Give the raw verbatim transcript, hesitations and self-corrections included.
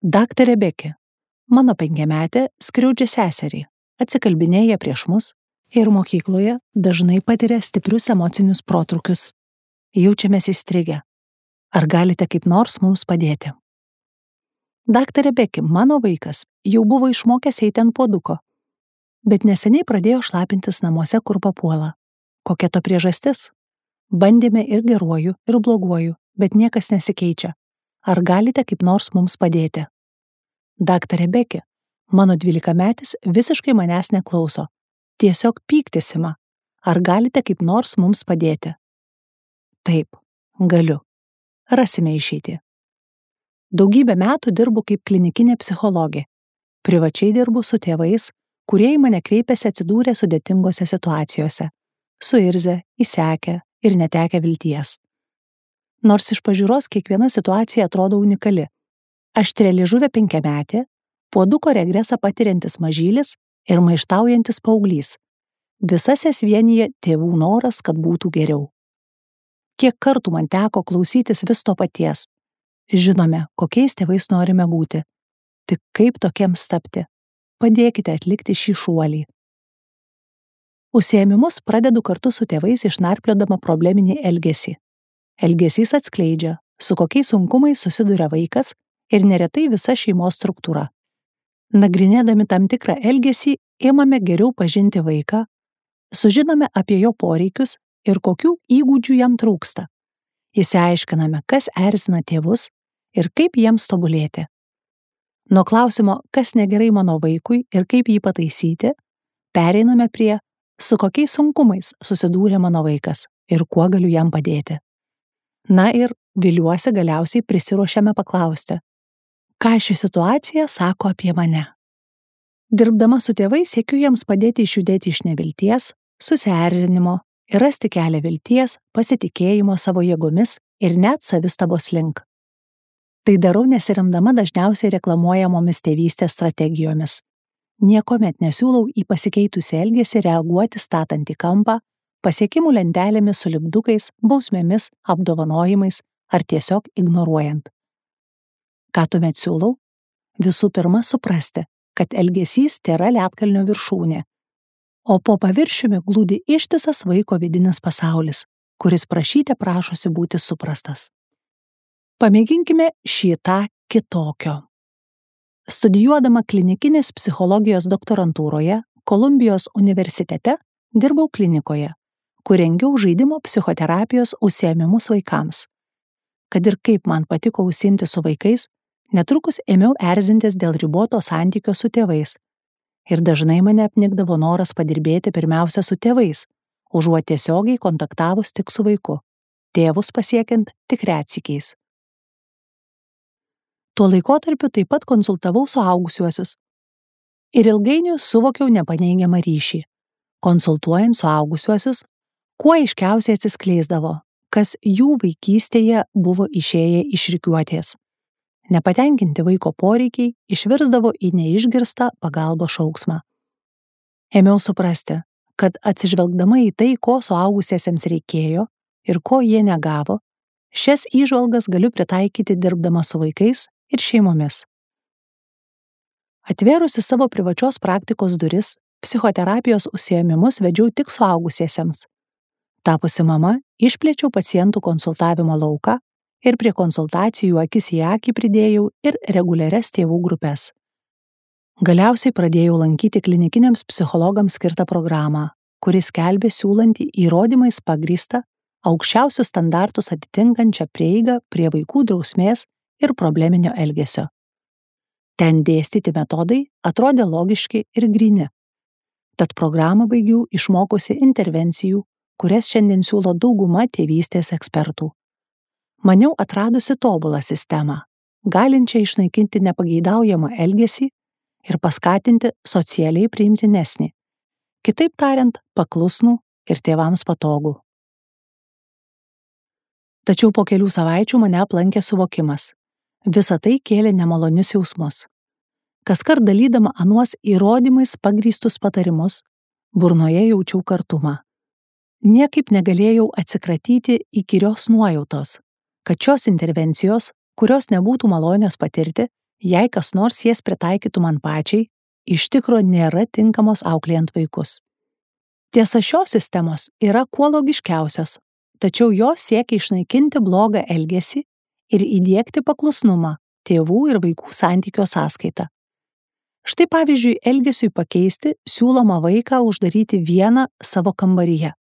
Daktarė Beki, mano penkiametė skriaudžia seserį, atsikalbinėja prieš mus ir mokykloje dažnai patiria stiprius emocinius protrūkius. Jaučiamės įstrigę. Ar galite kaip nors mums padėti? Daktarė Beki, mano vaikas jau buvo išmokęs eiti ant puoduko, bet neseniai pradėjo šlapintis namuose, kur papuola. Kokia to priežastis? Bandėme ir geruoju, ir bloguoju, bet niekas nesikeičia. Ar galite kaip nors mums padėti? Daktarė Beki, mano dvylikametis visiškai manęs neklauso. Tiesiog pyktis ima. Ar galite kaip nors mums padėti? Taip, galiu. Rasime išeitį. Daugybę metų dirbu kaip klinikinė psichologė. Privačiai dirbu su tėvais, kurie į mane kreipiasi atsidūrę sudėtingose situacijose, suirzę, įsekę ir netekę vilties. Nors iš pažiūros kiekviena situacija atrodo unikali. Aštrialiežuvė penkiametė, puoduko regresą patiriantis mažylis ir maištaujantis paauglys. Visas jas vienija tėvų noras, kad būtų geriau. Kiek kartų man teko klausytis vis to paties. Žinome, kokiais tėvais norime būti. Tik kaip tokiems tapti? Padėkite atlikti šį šuolį. Užsiėmimus pradedu kartu su tėvais išnarpliodama probleminį elgesį. Elgesys atskleidžia, su kokiais sunkumais susiduria vaikas ir neretai visa šeimos struktūra. Nagrinėdami tam tikrą elgesį, ėmame geriau pažinti vaiką, sužinome apie jo poreikius ir kokių įgūdžių jam trūksta. Išsiaiškiname, kas erzina tėvus ir kaip jiems tobulėti. Nuo klausimo, kas negerai mano vaikui ir kaip jį pataisyti, pereiname prie, su kokiais sunkumais susidūrė mano vaikas ir kuo galiu jam padėti. Na ir, viliuosi, galiausiai prisiruošiame paklausti, ką ši situacija sako apie mane. Dirbdama su tėvais siekiu jiems padėti išjudėti iš nevilties, susierzinimo ir rasti kelią vilties, pasitikėjimo savo jėgomis ir net savistabos link. Tai darau nesiremdama dažniausiai reklamuojamomis tėvystės strategijomis. Niekuomet nesiūlau į pasikeitusią elgesį reaguoti statant į kampą, pasiekimų lentelėmis su lipdukais, bausmėmis, apdovanojimais ar tiesiog ignoruojant. Ką tuomet siūlau? Visų pirma suprasti, kad elgesys tėra ledkalnio viršūnė, o po paviršiumi glūdi ištisas vaiko vidinis pasaulis, kuris prašyte prašosi būti suprastas. Pamėginkime šį tą kitokio. Studijuodama klinikinės psichologijos doktorantūroje Kolumbijos universitete dirbau klinikoje, kur rengiau žaidimo psichoterapijos užsiėmimus vaikams. Kad ir kaip man patiko užsiimti su vaikais, netrukus ėmiau erzintis dėl riboto santykio su tėvais. Ir dažnai mane apnikdavo noras padirbėti pirmiausia su tėvais, užuot tiesiogiai kontaktavus tik su vaiku, tėvus pasiekiant tik retsykiais. Tuo laikotarpiu taip pat konsultavau suaugusiuosius. Ir ilgainiui suvokiau nepaneigiamą ryšį. Konsultuojant suaugusiuosius, kuo aiškiausiai atsiskleisdavo, kas jų vaikystėje buvo išėję iš rikiuotės. Nepatenkinti vaiko poreikiai išvirsdavo į neišgirstą pagalbos šauksmą. Ėmiau suprasti, kad atsižvelgdama į tai, ko suaugusiesiems reikėjo ir ko jie negavo, šias įžvalgas galiu pritaikyti dirbdama su vaikais ir šeimomis. Atvėrusi savo privačios praktikos duris, psichoterapijos užsiėmimus vedžiau tik suaugusiesiems. Tapusi mama, išplėčiau pacientų konsultavimo lauką ir prie konsultacijų akis į akį pridėjau ir reguliarias tėvų grupes. Galiausiai pradėjau lankyti klinikiniams psichologams skirtą programą, kuris skelbė siūlantį įrodymais pagrįstą, aukščiausius standartus atitinkančią prieigą prie vaikų drausmės ir probleminio elgesio. Ten dėstyti metodai atrodė logiški ir gryni. Tad programą baigiau išmokusi intervencijų, kurias šiandien siūlo dauguma tėvystės ekspertų. Maniau atradusi tobulą sistemą, galinčią išnaikinti nepageidaujamą elgesį ir paskatinti socialiai priimtinesnį, kitaip tariant, paklusnų ir tėvams patogų. Tačiau po kelių savaičių mane aplankė suvokimas. Visa tai kėlė nemalonius jausmus. Kaskart dalydama anuos įrodymais pagrįstus patarimus, burnoje jaučiau kartumą. Niekaip negalėjau atsikratyti įkyrios nuojautos, kad šios intervencijos, kurios nebūtų malonios patirti, Jei kas nors jas pritaikytų man pačiai, iš tikro nėra tinkamos auklėjant vaikus. Tiesa, šios sistemos yra kuo logiškiausios, tačiau jos siekia išnaikinti blogą elgesį ir įdiegti paklusnumą tėvų ir vaikų santykio sąskaita. Štai pavyzdžiui, elgesiui pakeisti siūloma vaiką uždaryti vieną savo kambaryje.